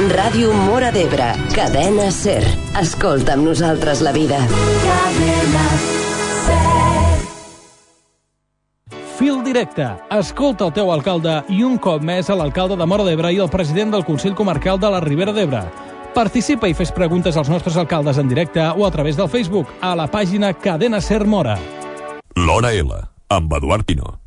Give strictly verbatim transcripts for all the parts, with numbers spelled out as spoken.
Ràdio Móra d'Ebre, Cadena Ser. Escolta amb nosaltres la vida. Cadena Ser. Fil directe. Escolta el teu alcalde i un cop més a l'alcalde de Móra d'Ebre i el president del Consell Comarcal de la Ribera d'Ebre. Participa i fes preguntes als nostres alcaldes en directe o a través del Facebook a la pàgina Cadena Ser Móra. L'Hora L, amb Eduard Pino.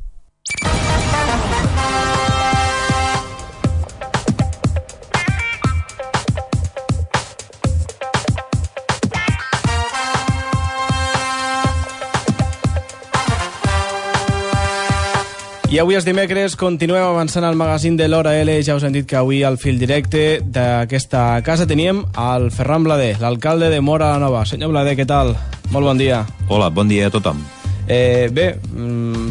I avui és dimecres, continuem avançant al magazín de l'Hora L. Ja us hem dit que avui al fil directe d'aquesta casa teníem el Ferran Blader, l'alcalde de Móra la Nova. Senyor Blader, què tal? Molt bon dia. Hola, bon dia a tothom. Eh, bé,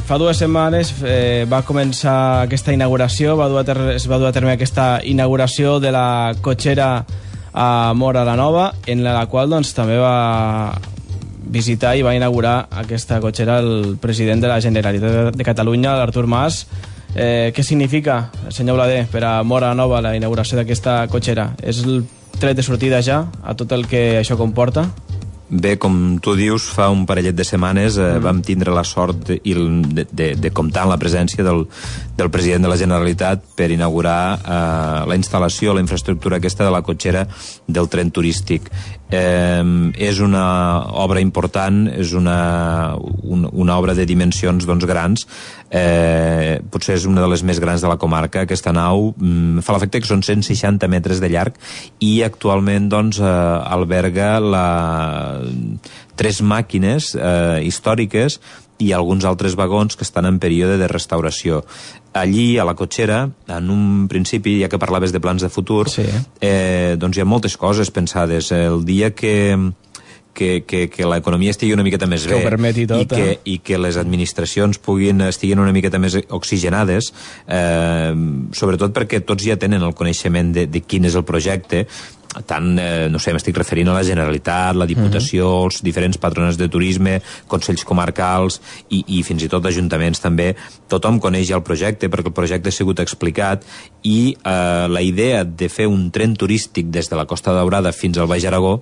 fa dues setmanes eh, va començar aquesta inauguració, va dur a ter- es va dur a terme aquesta inauguració de la cotxera a Móra la Nova, en la qual doncs, també va visitar i va inaugurar aquesta cotxera el president de la Generalitat de Catalunya, l'Artur Mas. Eh, què significa, senyor Blader, per a Móra la Nova la inauguració d'aquesta cotxera? És el tret de sortida ja a tot el que això comporta? Bé, com tu dius, fa un parellet de setmanes eh, mm. vam tindre la sort de, de, de, de comptar amb la presència del, del president de la Generalitat per inaugurar eh, la instal·lació, la infraestructura aquesta de la cotxera del tren turístic. Eh, és una obra important, és una, un, una obra de dimensions doncs, grans, eh, potser és una de les més grans de la comarca. Aquesta nau mm, fa l'efecte que són cent seixanta metres de llarg i actualment doncs, eh, alberga la tres màquines eh, històriques i alguns altres vagons que estan en període de restauració. Allí, a la cotxera, en un principi, ja que parlaves de plans de futur, sí. eh, doncs hi ha moltes coses pensades. El dia que, que, que, que l'economia estigui una miqueta més que bé ho permeti tot, i, que, eh? i que les administracions puguin estiguin una miqueta més oxigenades, eh, sobretot perquè tots ja tenen el coneixement de, de quin és el projecte, tant, eh, no sé, m'estic referint a la Generalitat, la Diputació, uh-huh. els diferents patronats de turisme, consells comarcals i, i fins i tot ajuntaments també. Tothom coneix ja el projecte perquè el projecte ha sigut explicat i eh, la idea de fer un tren turístic des de la Costa Daurada fins al Baix Aragó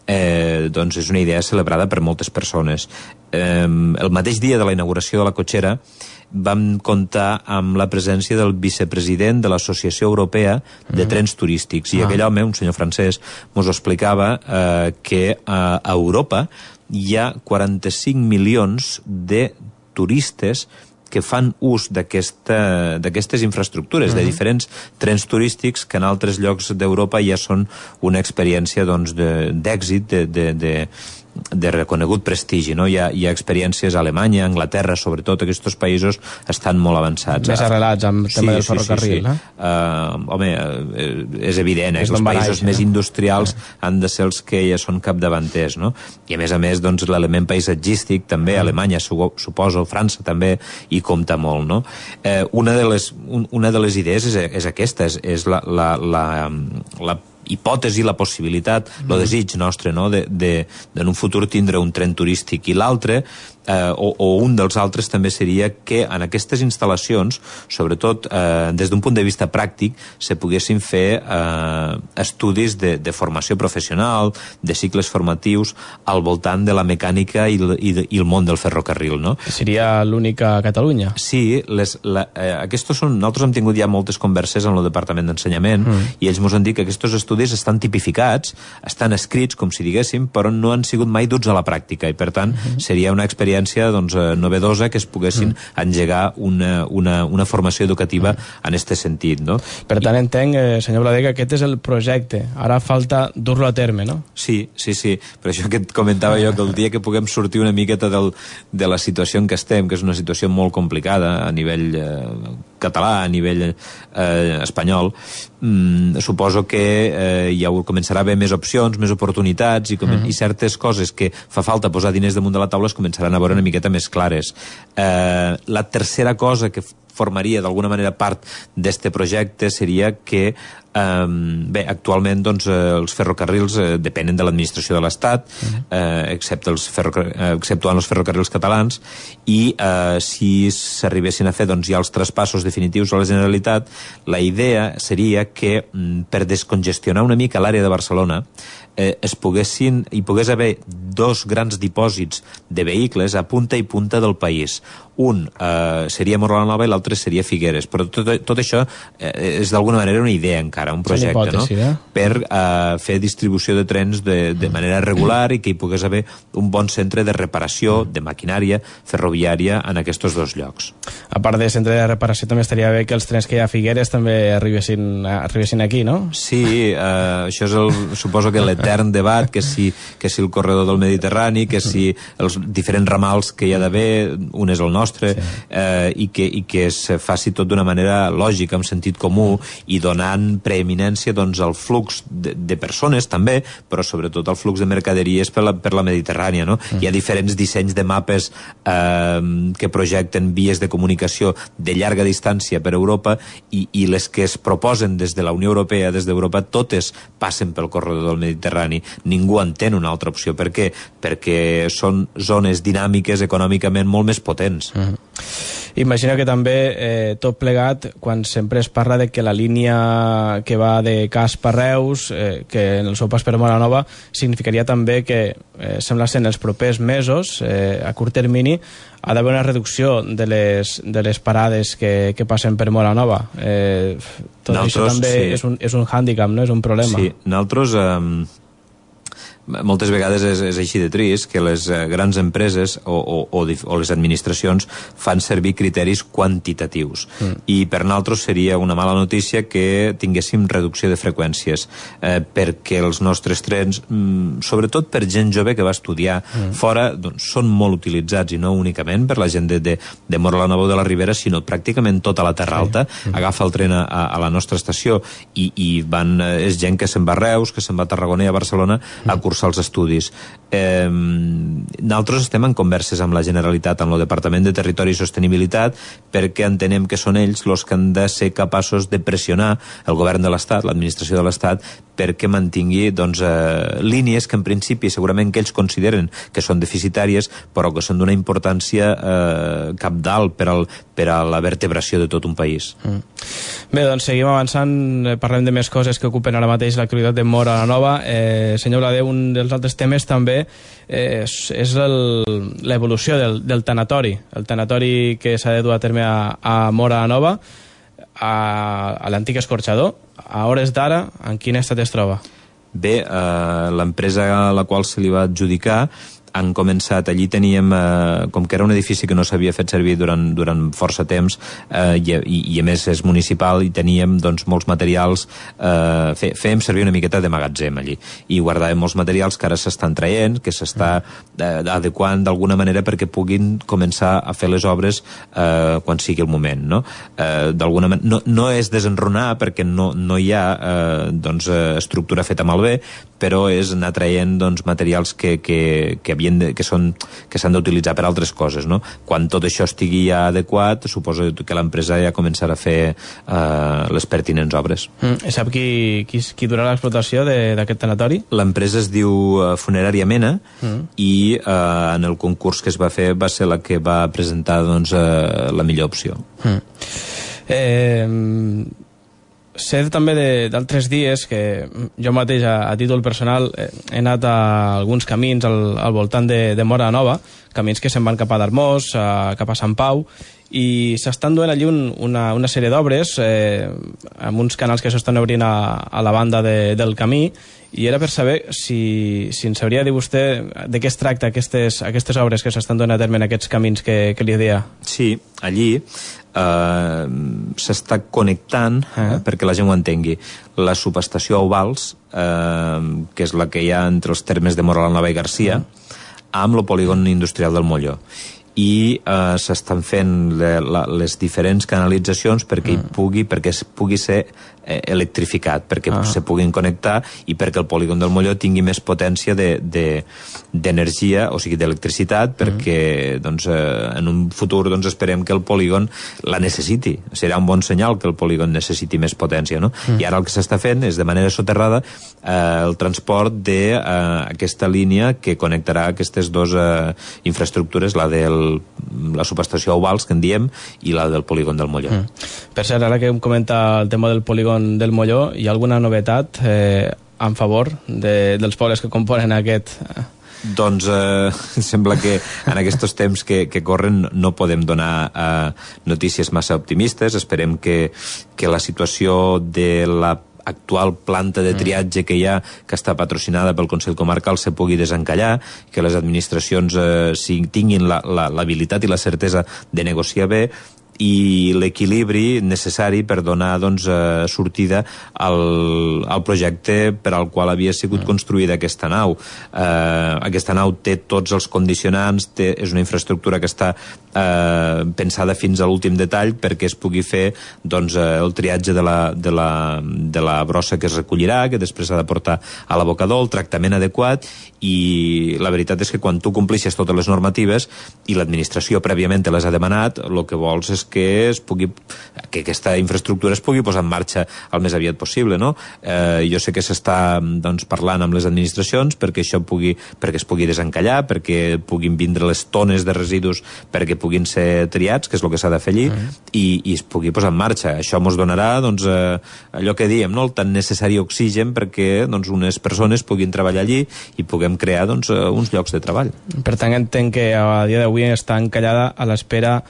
eh, doncs és una idea celebrada per moltes persones. Eh, el mateix dia de la inauguració de la cotxera vam comptar amb la presència del vicepresident de l'Associació Europea de Trens Turístics. I ah. aquell home, un senyor francès, mos explicava eh, que a Europa hi ha quaranta-cinc milions de turistes que fan ús d'aquesta, d'aquestes infraestructures, uh-huh. de diferents trens turístics que en altres llocs d'Europa ja són una experiència doncs, de, d'èxit, de, de, de, de reconegut prestigi, no? Hi ha, hi ha experiències a Alemanya, a Anglaterra, sobretot aquests països estan molt avançats. Més arrelats amb el tema sí, del ferrocarril, sí, sí, sí. eh? Uh, home, és evident, eh? És els països baix, més eh? industrials eh? han de ser els que ja són capdavanters, no? I a més a més, doncs, l'element paisatgístic també, mm. Alemanya, suposo, França també hi compta molt, no? Eh, una, de les, un, una de les idees és, és aquesta, és, és la, la, la, la hipòtesi, la possibilitat, mm. el desig nostre, no?, de, de, de en un futur tindre un tren turístic. I l'altre, eh, o, o un dels altres també seria que en aquestes instal·lacions, sobretot eh, des d'un punt de vista pràctic, se poguessin fer eh, estudis de, de formació professional, de cicles formatius al voltant de la mecànica i, i, i el món del ferrocarril, no? Seria l'única a Catalunya. Sí, les, la, eh, aquests són, nosaltres hem tingut ja moltes converses amb el Departament d'Ensenyament mm. i ells ens han dit que aquests estudis estan tipificats, estan escrits, com si diguéssim, però no han sigut mai duts a la pràctica i, per tant, mm-hmm. seria una experiència doncs, novedosa que es poguessin mm. engegar una, una, una formació educativa mm. en aquest sentit, no? Per tant, I... entenc, eh, senyor Blader, que aquest és el projecte. Ara falta dur-lo a terme, no? Sí, sí, sí. Per això que et comentava jo que el dia que puguem sortir una miqueta del, de la situació en què estem, que és una situació molt complicada a nivell eh, català, a nivell eh, espanyol, mm, suposo que eh, ja començarà a haver més opcions, més oportunitats i, com, mm. i certes coses que fa falta posar diners damunt de la taula es començaran a veure una miqueta més clares. Eh, la tercera cosa que formaria d'alguna manera part d'este projecte seria que Um, bé, actualment doncs, eh, els ferrocarrils eh, depenen de l'administració de l'Estat, eh, excepte els ferrocar eh, exceptuant els ferrocarrils catalans, i eh, si s'arribessin a fer doncs, ja els traspassos definitius a la Generalitat, la idea seria que mm, per descongestionar una mica l'àrea de Barcelona eh, es poguessin, hi pogués haver dos grans dipòsits de vehicles a punta i punta del país. Un eh, seria Móra la Nova i l'altre seria Figueres, però tot, tot això eh, és d'alguna manera una idea encara, un projecte, hipòtesi, no? Eh? Per eh, fer distribució de trens de, de manera regular i que hi pogués haver un bon centre de reparació de maquinària ferroviària en aquests dos llocs. A part de centre de reparació, també estaria bé que els trens que hi ha a Figueres també arribessin, arribessin aquí, no? Sí, eh, això és el, suposo que l'etern debat, que si, que si el corredor del Mediterrani, que si els diferents ramals que hi ha d'haver, un és el nostre, sí. eh, i, que, i que es faci tot d'una manera lògica, amb sentit comú, i donant preeminència doncs, al flux de, de persones també, però sobretot al flux de mercaderies per la, per la Mediterrània, no? Mm. Hi ha diferents dissenys de mapes eh, que projecten vies de comunicació de llarga distància per Europa, i, i les que es proposen des de la Unió Europea, des d'Europa, totes passen pel corredor del Mediterrani. Ningú entén una altra opció. Per què? Perquè són zones dinàmiques econòmicament molt més potents. Mm. Imagino que també eh, tot plegat, quan sempre es parla de que la línia que va de Casp a Reus, eh, que en el seu pas per Móra la Nova, significaria també que, eh, sembla ser en els propers mesos, eh, a curt termini, ha d'haver una reducció de les, de les parades que, que passen per Móra la Nova. Eh, tot nosaltres, això també sí. és, un, és un hàndicap, no? És un problema. Sí, nosaltres... Eh... moltes vegades és, és així de trist que les eh, grans empreses o, o, o, o les administracions fan servir criteris quantitatius, mm. i per nosaltres seria una mala notícia que tinguéssim reducció de freqüències, eh, perquè els nostres trens, mm, sobretot per gent jove que va estudiar mm. fora, doncs, són molt utilitzats, i no únicament per la gent de, de, de Móra la Nova o de la Ribera, sinó pràcticament tota la Terra Alta sí. mm. agafa el tren a, a la nostra estació, i, i van, és gent que se'n va a Reus, que se'n va a Tarragona i a Barcelona mm. a cursar els estudis. Eh, nosaltres estem en converses amb la Generalitat, amb el Departament de Territori i Sostenibilitat, perquè entenem que són ells els que han de ser capaços de pressionar el govern de l'Estat, l'administració de l'Estat, perquè mantingui doncs, eh, línies que en principi segurament que ells consideren que són deficitàries, però que són d'una importància eh, cabdal per, al, per a la vertebració de tot un país. Mm. Bé, doncs seguim avançant, parlem de més coses que ocupen ara mateix l'actualitat de Móra la Nova. Eh, senyor Blader, un dels altres temes també eh, és, és l'evolució del, del tanatori, el tanatori que s'ha de dur a terme a, a Móra la Nova, a, a l'antic escorxador. A hores d'ara, en quin estat es troba? Bé, eh, l'empresa a la qual se li va adjudicar han començat, allí teníem, eh, com que era un edifici que no s'havia fet servir durant, durant força temps, eh, i, i, i a més és municipal, i teníem doncs, molts materials, eh, fe, fèiem servir una miqueta de magatzem allí, i guardàvem molts materials que ara s'estan traient, que s'està eh, adequant d'alguna manera perquè puguin començar a fer les obres eh, quan sigui el moment, no? Eh, d'alguna manera, no, no és desenronar perquè no, no hi ha eh, doncs, estructura feta malbé, però és anar traient doncs, materials que, que, que havien de, que són que s'han d'utilitzar per altres coses, no? Quan tot això estigui ja adequat, suposo que l'empresa ja començarà a fer eh, les pertinents obres. Mm. Sap qui, qui, qui durà l'explotació d'aquest tanatori? L'empresa es diu uh, Funerària Mena, mm. i uh, en el concurs que es va fer va ser la que va presentar doncs, uh, la millor opció. Mm. Eh... Sé també d'altres dies que jo mateix a, a títol personal he, he anat a alguns camins al, al voltant de, de Móra la Nova, camins que se'n van cap a Darmós, a, cap a Sant Pau, i s'estan duent allí un, una, una sèrie d'obres eh, amb uns canals que s'estan obrint a, a la banda de, del camí, i era per saber si, si ens sabria dir vostè de què es tracta aquestes, aquestes obres que s'estan donant a terme en aquests camins que, que li deia. Sí, allí eh, s'està connectant, eh, perquè la gent ho entengui, la subestació Ovals, eh, que és la que hi ha entre els termes de Móra la Nova i Garcia, amb el polígon industrial del Molló. i eh, s'estan fent le, la, les diferents canalitzacions perquè, mm. hi pugui, perquè es pugui ser eh, electrificat, perquè ah. se puguin connectar i perquè el polígon del Molló tingui més potència d'energia, de, de, o sigui, d'electricitat, perquè mm. doncs, eh, en un futur doncs, esperem que el polígon la necessiti. Serà un bon senyal que el polígon necessiti més potència, no? Mm. I ara el que s'està fent és, de manera soterrada, eh, el transport d'aquesta eh, línia que connectarà aquestes dues eh, infraestructures, la del la subestació Ovals, que en diem, i la del polígon del Molló. Mm. Per cert, ara que em comenta el tema del polígon del Molló, hi ha alguna novetat eh, en favor de, dels pobles que componen aquest... Doncs eh, sembla que en aquests temps que, que corren no podem donar eh, notícies massa optimistes. Esperem que, que la situació de la actual planta de triatge que hi ha, que està patrocinada pel Consell Comarcal, se pugui desencallar, que les administracions eh, si tinguin l'habilitat la, la, i la certesa de negociar bé, i l'equilibri necessari per donar doncs, eh, sortida al, al projecte per al qual havia sigut construïda aquesta nau. Eh, aquesta nau té tots els condicionants, té, és una infraestructura que està eh, pensada fins a l'últim detall perquè es pugui fer doncs, eh, el triatge de la, de, la, de la brossa que es recollirà, que després s'ha de portar a l'abocador, el tractament adequat, i la veritat és que quan tu complixes totes les normatives i l'administració prèviament te les ha demanat, el que vols és que es pugui, que aquesta infraestructura es pugui posar en marxa el més aviat possible, no? Eh, jo sé que s'està doncs, parlant amb les administracions perquè això pugui, perquè es pugui desencallar, perquè puguin vindre les tones de residus perquè puguin ser triats, que és el que s'ha de fer allí, uh-huh. i, i es pugui posar en marxa. Això ens donarà doncs, eh, allò que diem, no? El tan necessari oxigen perquè doncs, unes persones puguin treballar allí i puguem crear doncs, uns llocs de treball. Per tant, entenc que a dia d'avui està encallada a l'espera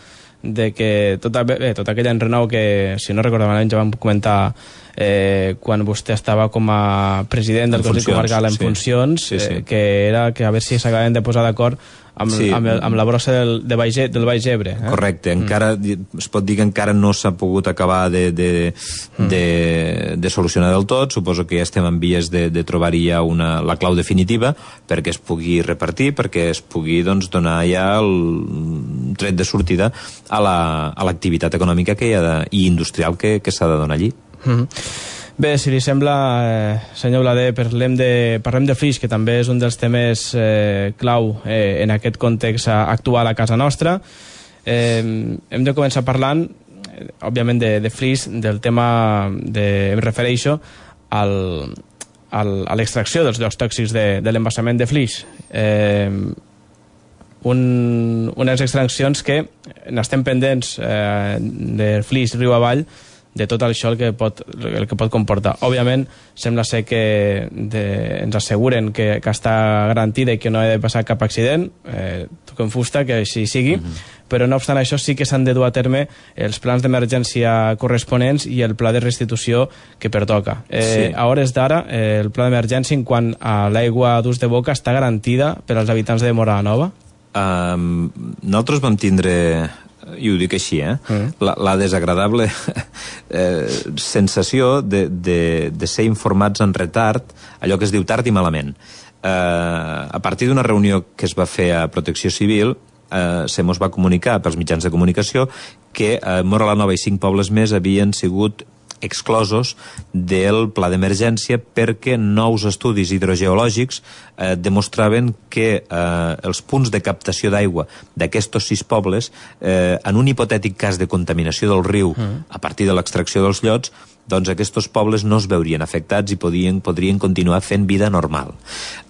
de que tota, bé, tota aquella enrenou que, si no recordo malament, ja vam comentar eh, quan vostè estava com a president del Consell Comarcal en sí. funcions, sí, sí. Eh, que era que a veure si s'acaben de posar d'acord amb, sí. amb, el, amb la brossa del, de Baix, del Baix Ebre. Eh? Correcte, encara, mm. es pot dir que encara no s'ha pogut acabar de, de, mm. de, de solucionar del tot. Suposo que ja estem en vies de, de trobar-hi ja una, la clau definitiva perquè es pugui repartir, perquè es pugui doncs, donar ja el tret de sortida a l'activitat la, econòmica que hi ha de, i industrial que, que s'ha de donar allí. Mm. Bé, si li sembla, eh, senyor Blader, parlem de, parlem de Flix, que també és un dels temes eh, clau eh, en aquest context actual a casa nostra. Eh, hem de començar parlant, eh, òbviament, de, de Flix, del tema, de, em refereixo al, al, a l'extracció dels llocs tòxics de, de l'embassament de Flix. Eh, un, unes extraccions que n'estem pendents eh, de Flix riu avall, de tot això el que pot, el que pot comportar. Òbviament, sembla ser que de, ens asseguren que, que està garantida i que no ha de passar cap accident, eh, toquem fusta, que així sigui, mm-hmm. però no obstant això sí que s'han de dur a terme els plans d'emergència corresponents i el pla de restitució que pertoca. Eh, sí. A hores d'ara, eh, el pla d'emergència en quant a l'aigua d'ús de boca està garantida per als habitants de Móra la Nova? Um, nosaltres vam tindre... i ho dic així, eh? Mm. La, la desagradable eh, sensació de, de, de ser informats en retard, allò que es diu tard i malament. Eh, a partir d'una reunió que es va fer a Protecció Civil, eh, se mos va comunicar pels mitjans de comunicació que eh, Móra la Nova i cinc pobles més havien sigut exclosos del pla d'emergència perquè nous estudis hidrogeològics eh, demostraven que eh, els punts de captació d'aigua d'aquests sis pobles, eh, en un hipotètic cas de contaminació del riu mm. a partir de l'extracció dels llots, doncs aquests pobles no es veurien afectats i podien, podrien continuar fent vida normal.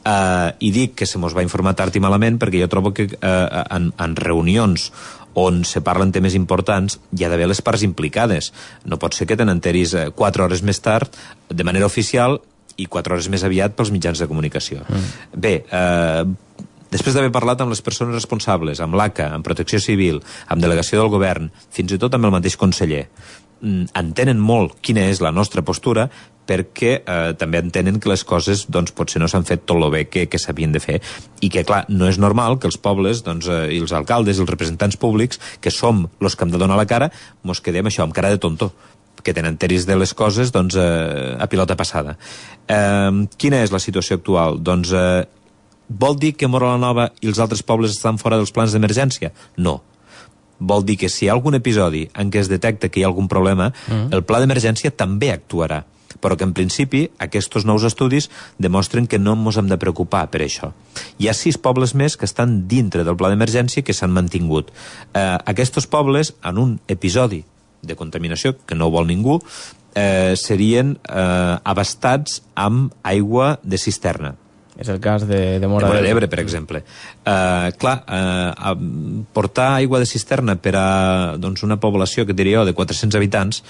Eh, I dic que se mos va informar tard i malament perquè jo trobo que eh, en, en reunions on se parlen temes importants, hi ha d'haver les parts implicades. No pot ser que te n'enteris quatre hores més tard, de manera oficial, i quatre hores més aviat pels mitjans de comunicació. Mm. Bé, eh, després d'haver parlat amb les persones responsables, amb l'A C A, amb Protecció Civil, amb Delegació del Govern, fins i tot amb el mateix conseller, entenen molt quina és la nostra postura perquè eh, també entenen que les coses doncs, potser no s'han fet tot el bé que, que s'havien de fer i que, clar, no és normal que els pobles doncs, eh, i els alcaldes i els representants públics, que som els que hem de donar la cara, mos quedem això, amb cara de tonto, que tenen enteris de les coses doncs, eh, a pilota passada. Eh, quina és la situació actual? Doncs eh, Vol dir que Móra la Nova i els altres pobles estan fora dels plans d'emergència? No. Vol dir que si hi ha algun episodi en què es detecta que hi ha algun problema, mm. el pla d'emergència també actuarà. Però que en principi aquests nous estudis demostren que no ens hem de preocupar per això. Hi ha sis pobles més que estan dintre del pla d'emergència que s'han mantingut. Eh, aquests pobles, en un episodi de contaminació, que no ho vol ningú, eh, serien eh, abastats amb aigua de cisterna. És el cas de, de Móra d'Ebre, per exemple. Uh, clar, uh, portar aigua de cisterna per a doncs, una població, que diria jo, de quatre-cents habitants,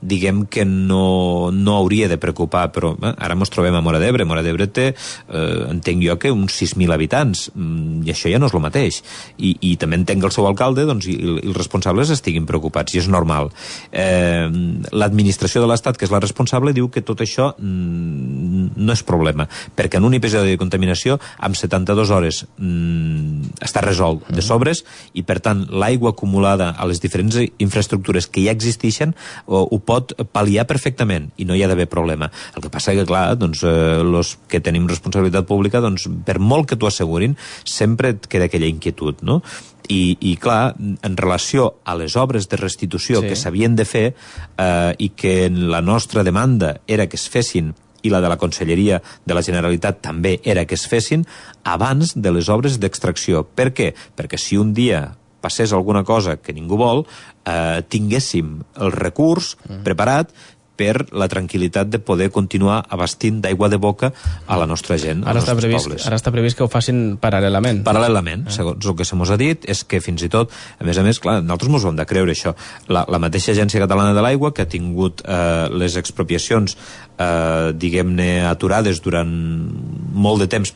diguem que no, no hauria de preocupar, però eh, ara ens trobem a Móra d'Ebre. Móra d'Ebre té, eh, entenc jo, que uns sis mil habitants, i això ja no és el mateix. I, i també entenc que el seu alcalde doncs, i, i els responsables estiguin preocupats, i és normal. Eh, L'administració de l'Estat, que és la responsable, diu que tot això mm, no és problema, perquè en un episodi de contaminació, amb setanta-dues hores mm, està resolt de sobres, i per tant l'aigua acumulada a les diferents infraestructures que ja existeixen o, ho pot pal·liar perfectament i no hi ha d'haver problema. El que passa que, clar, doncs, eh, los que tenim responsabilitat pública, doncs, per molt que t'ho assegurin, sempre et queda aquella inquietud, no? I, i clar, en relació a les obres de restitució sí. que s'havien de fer eh, i que la nostra demanda era que es fessin i la de la Conselleria de la Generalitat també era que es fessin abans de les obres d'extracció. Per què? Perquè si un dia passés alguna cosa que ningú vol, eh, tinguéssim el recurs mm. preparat per la tranquil·litat de poder continuar abastint d'aigua de boca a la nostra gent, ara als està nostres previst, pobles. Ara està previst que ho facin paral·lelament. Paral·lelament, ah. segons el que se mos ha dit, és que fins i tot, a més a més, clar, nosaltres mos ho hem de creure, això. La, la mateixa Agència Catalana de l'Aigua, que ha tingut eh, les expropiacions, eh, diguem-ne, aturades durant molt de temps,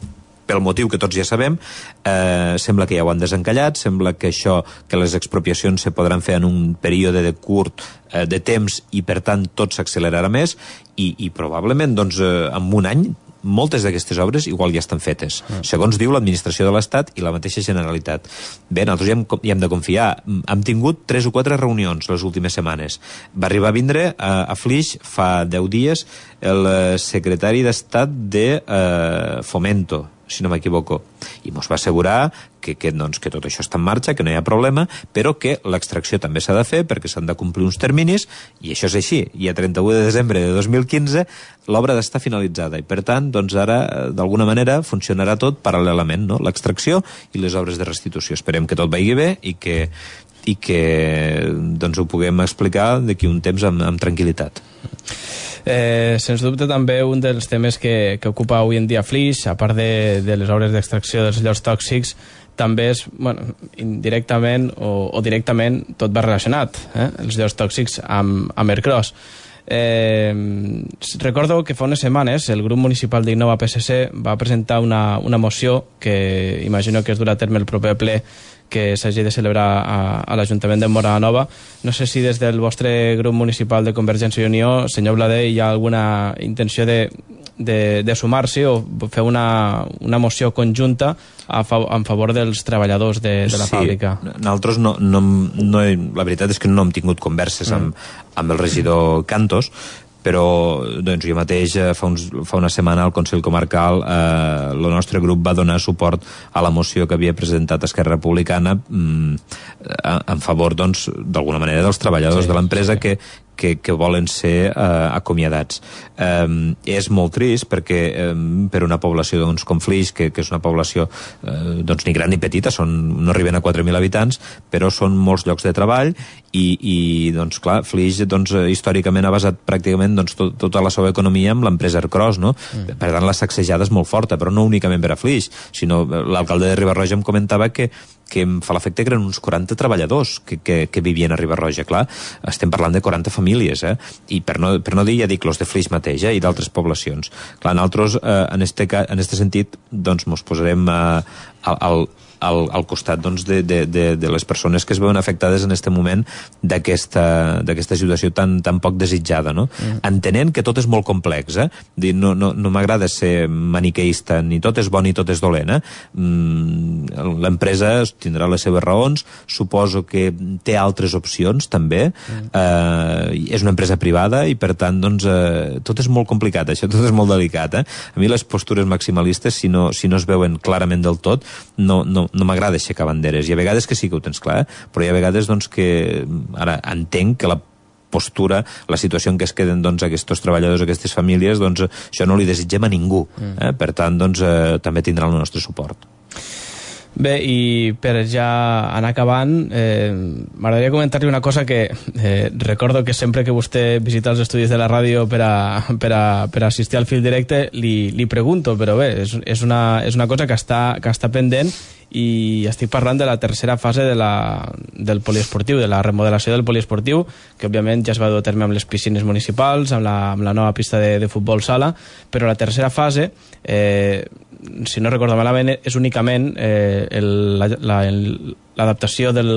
pel motiu que tots ja sabem, eh, sembla que ja ho han desencallat, sembla que això, que les expropiacions se podran fer en un període de curt eh, de temps i per tant tot s'accelerarà més i, i probablement doncs, eh, en un any moltes d'aquestes obres igual ja estan fetes, ah. segons diu l'administració de l'Estat i la mateixa Generalitat. Bé, nosaltres ja hem, ja hem de confiar. Hem tingut tres o quatre reunions les últimes setmanes. Va arribar a vindre a, a Flix fa deu dies el secretari d'Estat de eh, Fomento, si no m'equivoco, i ens va assegurar que, que, doncs, que tot això està en marxa, que no hi ha problema, però que l'extracció també s'ha de fer perquè s'han de complir uns terminis, i això és així. I a trenta-u de desembre de dos mil quinze l'obra ha d'estar finalitzada, i per tant, doncs ara, d'alguna manera, funcionarà tot paral·lelament, no? L'extracció i les obres de restitució. Esperem que tot vagi bé i que, i que doncs, ho puguem explicar d'aquí un temps amb, amb tranquil·litat. Eh, sens dubte també un dels temes que, que ocupa avui en dia Flix, a part de, de les obres d'extracció dels llots tòxics, també és, bueno, indirectament o, o directament tot va relacionat, eh? Els llots tòxics amb, amb Ercros. Eh, recordo que fa unes setmanes el grup municipal d'Innova P S C va presentar una, una moció que imagino que es durà a terme el proper ple que s'hagi de celebrar a, a l'Ajuntament de Móra la Nova. No sé si des del vostre grup municipal de Convergència i Unió, senyor Blader, hi ha alguna intenció de, de, de sumar-s'hi o fer una, una moció conjunta a fav en favor dels treballadors de, de la sí, fàbrica. Nosaltres no, no, no, la veritat és que no hem tingut converses mm. amb, amb el regidor Cantos, però doncs, jo mateix fa, uns, fa una setmana al Consell Comarcal eh, el nostre grup va donar suport a la moció que havia presentat Esquerra Republicana mm, en favor, doncs, d'alguna manera dels treballadors sí, de l'empresa sí. que, que, que volen ser eh, acomiadats. Eh, és molt trist perquè eh, per una població doncs, com Flix, que, que és una població eh, doncs, ni gran ni petita, són, no arriben a quatre mil habitants, però són molts llocs de treball i, i doncs, clar, Flix doncs, històricament ha basat pràcticament doncs, tot, tota la seva economia amb l'empresa Ercros, no? Mm. Per tant, la sacsejada és molt forta, però no únicament per a Flix, sinó l'alcalde de Riba-roja em comentava que que em fa l'efecte que eren uns quaranta treballadors que, que, que vivien a Riba-roja. Clar, estem parlant de quaranta famílies, eh? I per no, per no dir, ja dic, los de Flix mateix, eh? I d'altres poblacions. Clar, nosaltres, eh, en este, en este sentit, doncs, mos posarem eh, al, al al, al costat doncs, de, de, de, de les persones que es veuen afectades en aquest moment d'aquesta d'aquesta situació tan, tan poc desitjada, no? Mm. Entenent que tot és molt complex, eh? Dir, no no, no m'agrada ser maniqueista, ni tot és bo ni tot és dolent, eh? Mm, l'empresa tindrà les seves raons, suposo que té altres opcions també, mm. eh, és una empresa privada i per tant doncs, eh, tot és molt complicat, això tot és molt delicat, eh? A mi les postures maximalistes, si no, si no es veuen clarament del tot, no, no, no m'agrada aixecar banderes, i a vegades que sí que ho tens clar, eh? Però hi ha vegades doncs, que ara entenc que la postura, la situació en què es queden doncs, aquests treballadors, aquestes famílies, doncs això no li desitgem a ningú, eh? Per tant doncs, eh, també tindrà el nostre suport. Bé, i per ja anar acabant, eh, m'agradaria comentar-li una cosa que eh, recordo que sempre que vostè visita els estudis de la ràdio per a, per a, per a assistir al fil directe li, li pregunto, però bé, és, és, una, és una cosa que està, que està pendent, i estic parlant de la tercera fase de la, del poliesportiu, de la remodelació del poliesportiu, que òbviament ja es va dur a terme amb les piscines municipals, amb la, amb la nova pista de, de futbol sala, però la tercera fase, eh, si no recordo malament, és únicament eh, l'adaptació la, la, del,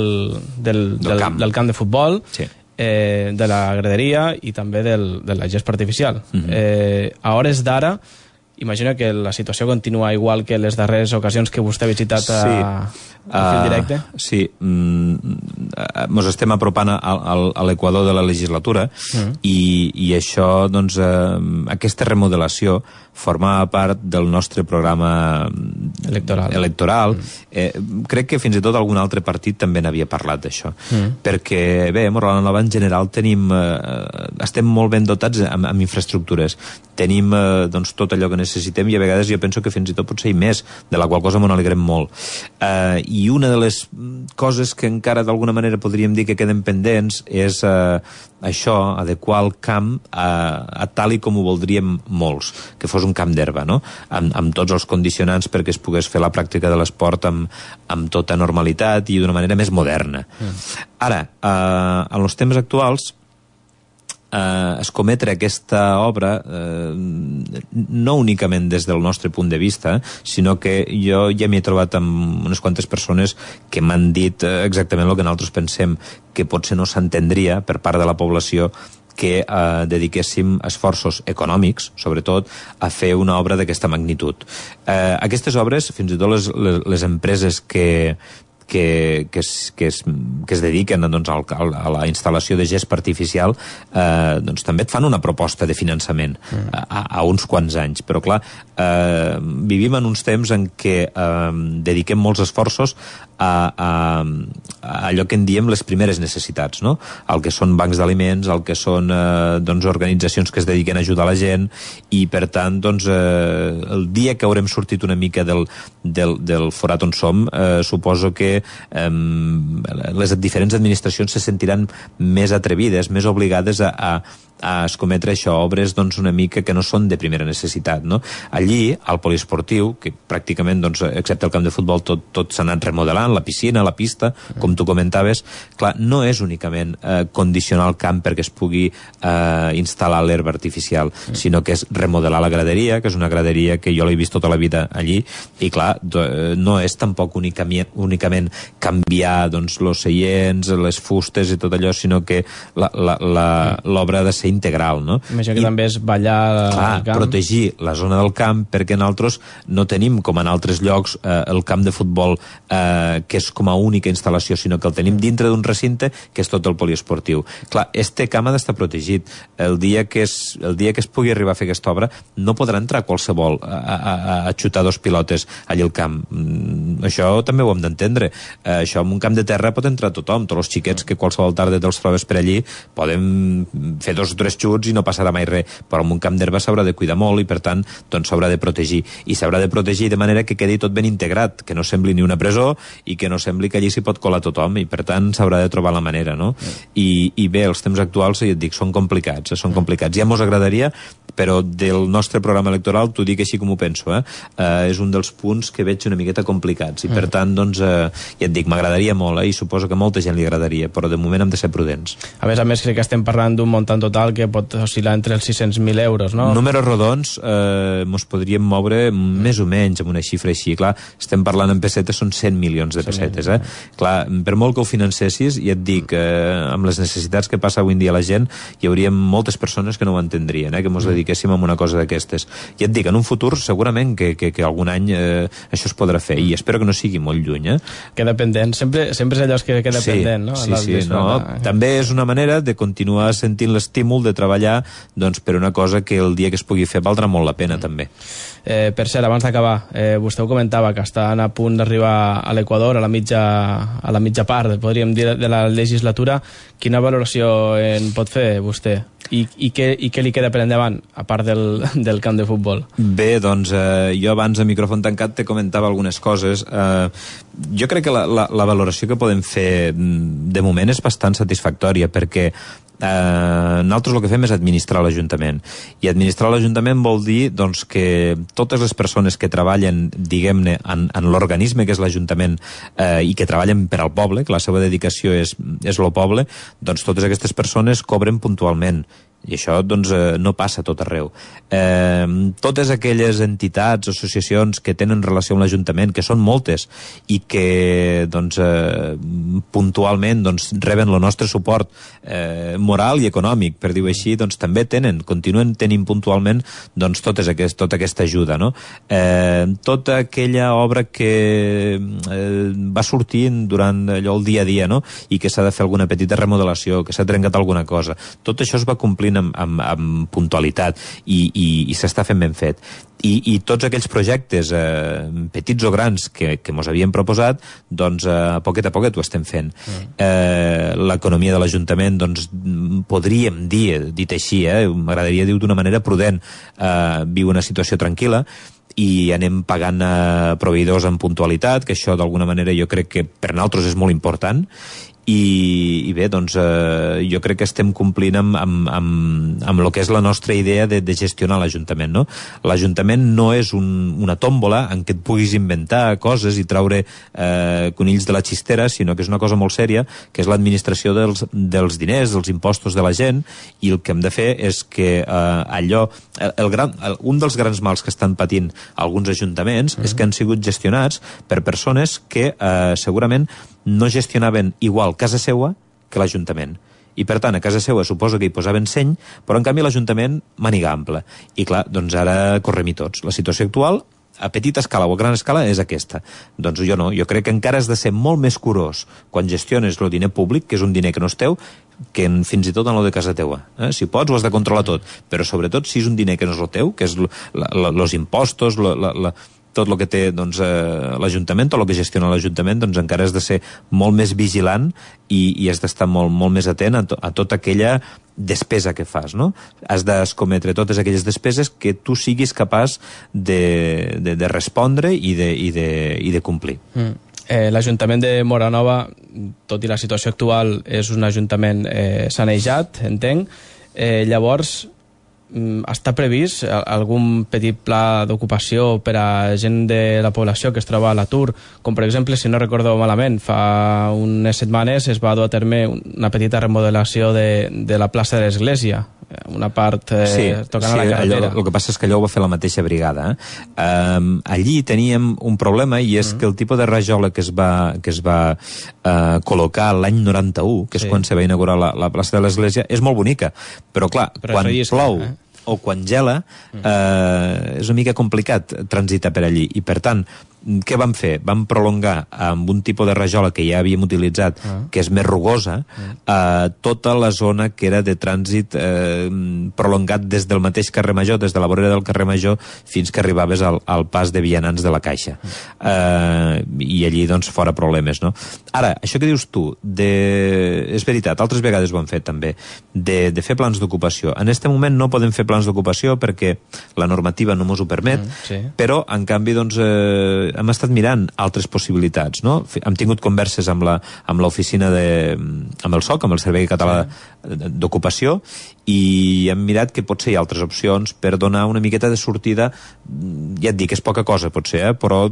del, del, del, camp. del camp de futbol, sí. eh, de la graderia i també del, de la gespa artificial. Uh-huh. eh, a hores d'ara, imagino que la situació continua igual que les darreres ocasions que vostè ha visitat a, sí. a fil directe. Uh, sí, mm, mos estem apropant a, a, a l'equador de la legislatura mm. i, i això, doncs, uh, aquesta remodelació formava part del nostre programa electoral. electoral. Mm. Eh, crec que fins i tot algun altre partit també n'havia parlat d'això. Mm. Perquè, bé, a Morala Nova en general tenim, eh, estem molt ben dotats amb, amb infraestructures. Tenim eh, doncs, tot allò que necessitem i a vegades jo penso que fins i tot potser hi més, de la qual cosa m'ho alegrem molt. Eh, I una de les coses que encara d'alguna manera podríem dir que queden pendents és eh, això, adequar el camp a, a tal i com ho voldríem molts, que fos un camp d'herba, no? Amb, amb tots els condicionants perquè es pogués fer la pràctica de l'esport amb, amb tota normalitat i d'una manera més moderna. Mm. Ara, eh, en els temps actuals, eh, escometre aquesta obra eh, no únicament des del nostre punt de vista, sinó que jo ja m'hi he trobat amb unes quantes persones que m'han dit eh, exactament el que nosaltres pensem, que potser no s'entendria per part de la població que eh, dediquéssim esforços econòmics, sobretot, a fer una obra d'aquesta magnitud. Eh, aquestes obres, fins i tot les, les, les empreses que, que, que, es, que, es, que es dediquen doncs, al, a la instal·lació de gespa artificial, eh, doncs també et fan una proposta de finançament mm. a, a uns quants anys. Però, clar, eh, vivim en uns temps en què eh, dediquem molts esforços a, a, a allò que en diem les primeres necessitats, no? El que són bancs d'aliments, el que són eh, doncs, organitzacions que es dediquen a ajudar la gent, i per tant doncs, eh, el dia que haurem sortit una mica del, del, del forat on som, eh, suposo que eh, les diferents administracions se sentiran més atrevides, més obligades a, a a escometre això, obres doncs, una mica que no són de primera necessitat, no? Allí, al poliesportiu, que pràcticament, doncs, excepte el camp de futbol, tot, tot s'ha anat remodelant, la piscina, la pista, com tu comentaves, clar, no és únicament eh, condicionar el camp perquè es pugui eh, instal·lar l'herba artificial, sinó que és remodelar la graderia, que és una graderia que jo l'he vist tota la vida allí, i clar, no és tampoc únicament, únicament canviar doncs, los seients, les fustes i tot allò, sinó que l'obra ha de ser integral, no? Imagina que I, també és ballar clar, al camp. Protegir la zona del camp, perquè nosaltres no tenim, com en altres llocs, eh, el camp de futbol eh, que és com a única instal·lació, sinó que el tenim dintre d'un recinte que és tot el poliesportiu. Clar, este camp ha d'estar protegit. El dia que es, el dia que es pugui arribar a fer aquesta obra, no podrà entrar qualsevol a, a, a xutar dos pilotes allà al camp. Mm, això també ho hem d'entendre. Eh, això en un camp de terra pot entrar tothom, tots els xiquets que qualsevol tarda te'ls trobes per allí poden fer dos o tres xuts i no passarà mai res, però en un camp d'herba s'haurà de cuidar molt i per tant doncs s'haurà de protegir, i s'haurà de protegir de manera que quedi tot ben integrat, que no sembli ni una presó i que no sembli que allí s'hi pot colar tothom, i per tant s'haurà de trobar la manera, no? I, i bé, els temps actuals, ja et dic, són complicats, eh? són complicats. Ja mos agradaria però del nostre programa electoral t'ho dic així com ho penso, eh? Uh, és un dels punts que veig una miqueta complicats, i per tant, doncs, uh, ja et dic, m'agradaria molt, eh? I suposo que a molta gent li agradaria, però de moment hem de ser prudents. A més a més, crec que estem parlant d'un muntant total que pot oscil·lar entre els sis-cents mil euros, no? Números rodons, eh, mos podríem moure més o menys amb una xifra així. Clar, estem parlant en pessetes, són cent milions de pessetes, eh? Clar, per molt que ho financessis, ja et dic, eh, amb les necessitats que passa avui en dia la gent, hi hauria moltes persones que no ho entendrien, eh? Que mos dediquéssim a una cosa d'aquestes. Ja et dic, en un futur segurament que, que, que algun any eh, això es podrà fer, i espero que no sigui molt lluny, eh? Queda pendent, sempre, sempre és allò que queda sí, pendent, no? Sí, sí, no. També és una manera de continuar sentint l'estímul de treballar, doncs, per una cosa que el dia que es pugui fer valdrà molt la pena, mm. també. Eh, per cert, abans d'acabar, eh, vostè ho comentava, que estan a punt d'arribar a l'Equador, a la mitja, a la mitja part, podríem dir, de la legislatura. Quina valoració en pot fer vostè? I, i, què, i què li queda per endavant, a part del, del camp de futbol? Bé, doncs, eh, jo abans a micròfon tancat te comentava algunes coses. Eh, jo crec que la, la, la valoració que podem fer de moment és bastant satisfactòria, perquè Eh, nosaltres el que fem és administrar l'Ajuntament, i administrar l'Ajuntament vol dir, doncs, que totes les persones que treballen, diguem-ne, en, en l'organisme que és l'Ajuntament, eh, i que treballen per al poble, que la seva dedicació és, és lo poble, doncs totes aquestes persones cobren puntualment, i això, doncs, eh, no passa a tot arreu. Eh, totes aquelles entitats, associacions que tenen relació amb l'Ajuntament, que són moltes, i que, doncs, eh, puntualment, doncs, reben el nostre suport eh, moral i econòmic, per dir-ho així, doncs també tenen, continuen tenint puntualment, doncs, totes aquest, tota aquesta ajuda, no? Eh, tota aquella obra que eh, va sortint durant allò el dia a dia, no? I que s'ha de fer alguna petita remodelació, que s'ha trencat alguna cosa. Tot això es va complir Amb, amb, amb puntualitat, i, i, i s'està fent ben fet. I, i tots aquells projectes eh, petits o grans que, que mos havíem proposat, doncs eh, a poquet a poquet ho estem fent. Mm. Eh, l'economia de l'Ajuntament, doncs, podríem dir, dit així, eh, m'agradaria dir d'una manera prudent, eh, viu una situació tranquil·la, i anem pagant eh, proveïdors en puntualitat, que això d'alguna manera jo crec que per nosaltres és molt important. I, i bé, doncs eh, jo crec que estem complint amb, amb, amb, amb el que és la nostra idea de, de gestionar l'Ajuntament, no? L'Ajuntament no és un, una tòmbola en què et puguis inventar coses i traure eh, conills de la xistera, sinó que és una cosa molt sèria, que és l'administració dels, dels diners, dels impostos de la gent, i el que hem de fer és que eh, allò... El, el gran, el, un dels grans mals que estan patint alguns ajuntaments mm. és que han sigut gestionats per persones que eh, segurament no gestionaven igual casa seua que l'Ajuntament. I, per tant, a casa seua suposo que hi posaven seny, però, en canvi, l'Ajuntament màniga ampla. I, clar, doncs ara correm-hi tots. La situació actual, a petita escala o a gran escala, és aquesta. Doncs jo no. Jo crec que encara has de ser molt més curós quan gestiones el diner públic, que és un diner que no és teu, que en, fins i tot en lo de casa teua. Eh? Si pots, ho has de controlar tot. Però, sobretot, si és un diner que no és el teu, que és els impostos, la... la, la tot el que té, doncs, eh, l'Ajuntament, tot el que gestiona l'Ajuntament, doncs encara has de ser molt més vigilant i, i has d'estar molt, molt més atent a, to, a tota aquella despesa que fas, no? Has d'escometre totes aquelles despeses que tu siguis capaç de, de, de respondre i de, i de, i de complir. Mm. Eh, L'Ajuntament de Móra-Nova, tot i la situació actual, és un ajuntament eh, sanejat, entenc. Eh, llavors, està previst algun petit pla d'ocupació per a gent de la població que es troba a l'atur? Com, per exemple, si no recordo malament, fa unes setmanes es va dur a terme una petita remodelació de, de la plaça de l'Església, una part eh, sí, tocant sí, a la carretera. Allò, el que passa és que allò ho va fer la mateixa brigada. Eh? Um, allí teníem un problema, i és mm. que el tipus de rajola que es va, que es va uh, col·locar l'any noranta-u, que és sí. quan se va inaugurar la, la plaça de l'Església, és molt bonica, però clar, però quan llisca, plou eh? o quan gela, eh, és una mica complicat transitar per allí, i per tant què vam fer? Vam prolongar amb un tipus de rajola que ja havíem utilitzat, uh -huh. que és més rugosa, uh -huh. eh, tota la zona que era de trànsit eh, prolongat des del mateix carrer Major, des de la vorera del carrer Major, fins que arribaves al, al pas de vianants de la Caixa. Uh -huh. eh, I allí, doncs, fora problemes, no? Ara, això que dius tu, de... és veritat, altres vegades ho hem fet també, de, de fer plans d'ocupació. En aquest moment no podem fer plans d'ocupació perquè la normativa no mos ho permet, uh -huh. sí. però, en canvi, doncs, eh, eh, hem estat mirant altres possibilitats, no? Hem tingut converses amb la, amb l'oficina de... amb el S O C, amb el Servei Català sí. d'Ocupació, i hem mirat que potser hi ha altres opcions per donar una miqueta de sortida. Ja et dic, és poca cosa potser, eh? Però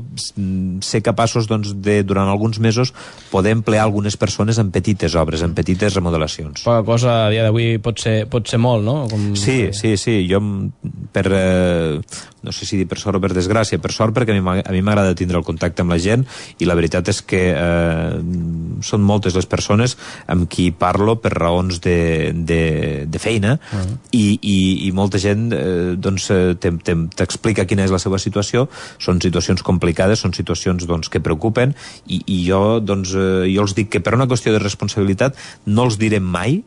ser capaços doncs, de, durant alguns mesos, poder emplear algunes persones en petites obres, en petites remodelacions. Poca cosa a dia d'avui pot ser, pot ser molt, no? Com... Sí, sí, sí. Jo, per, eh, no sé si dir per sort o per desgràcia, per sort perquè a mi m'agrada tindre el contacte amb la gent, i la veritat és que eh, són moltes les persones amb qui parlo per raons de, de, de feina, uh-huh. i, i, i molta gent eh, doncs, t'explica quina és la seva situació. Són situacions complicades, són situacions doncs, que preocupen, i, i jo, doncs, eh, jo els dic que per una qüestió de responsabilitat no els diré mai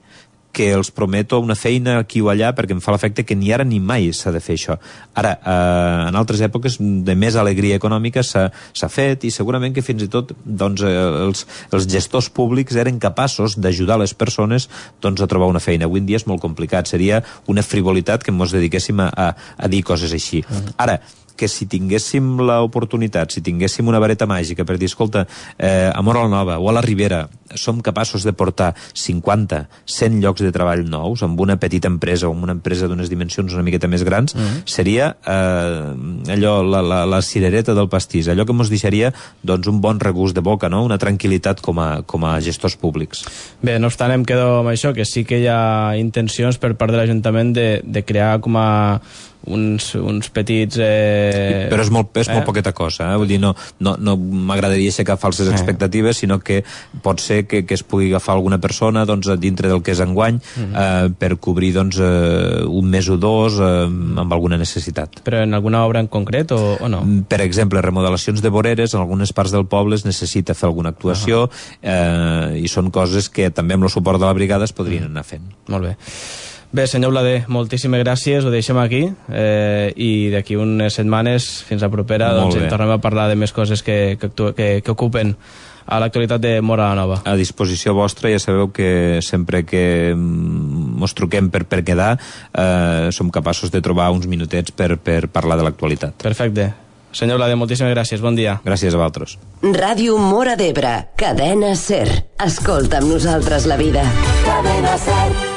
que els prometo una feina aquí o allà, perquè em fa l'efecte que ni ara ni mai s'ha de fer això. Ara, eh, en altres èpoques de més alegria econòmica s'ha fet, i segurament que fins i tot doncs, eh, els, els gestors públics eren capaços d'ajudar les persones doncs, a trobar una feina. Avui en dia és molt complicat, seria una frivolitat que ens dediquéssim a, a, a dir coses així. Uh-huh. Ara, que si tinguéssim l'oportunitat, si tinguéssim una vareta màgica per dir, escolta, eh, a Móra la Nova o a la Ribera som capaços de portar cinquanta, cent llocs de treball nous amb una petita empresa o amb una empresa d'unes dimensions una miqueta més grans, mm-hmm. seria eh, allò, la, la, la cirereta del pastís, allò que ens deixaria doncs, un bon regust de boca, no? Una tranquil·litat com a, com a gestors públics. Bé, no obstant, em quedo amb això, que sí que hi ha intencions per part de l'Ajuntament de, de crear com a uns, uns petits... Eh... Però és molt, és molt eh? poqueta cosa, eh? Vull dir, no, no, no m'agradaria aixecar falses eh. expectatives, sinó que pot ser que, que es pugui agafar alguna persona doncs, dintre del que és enguany mm-hmm. eh, per cobrir doncs, eh, un mes o dos eh, amb alguna necessitat. Però en alguna obra en concret o, o no? Per exemple, remodelacions de voreres, en algunes parts del poble es necessita fer alguna actuació, uh-huh. eh, i són coses que també amb el suport de la brigada es podrien anar fent. Molt bé. Bé, senyor Blader, moltíssimes gràcies, ho deixem aquí, eh, i d'aquí unes setmanes, fins a propera, doncs en tornem a parlar de més coses que, que, que, que ocupen a l'actualitat de Móra la Nova. A disposició vostra, ja sabeu que sempre que ens truquem per, per quedar, eh, som capaços de trobar uns minutets per, per parlar de l'actualitat. Perfecte. Senyor Blader, moltíssimes gràcies, bon dia. Gràcies a vosaltres. Ràdio Móra d'Ebre, cadena SER. Escolta amb nosaltres la vida. Cadena SER.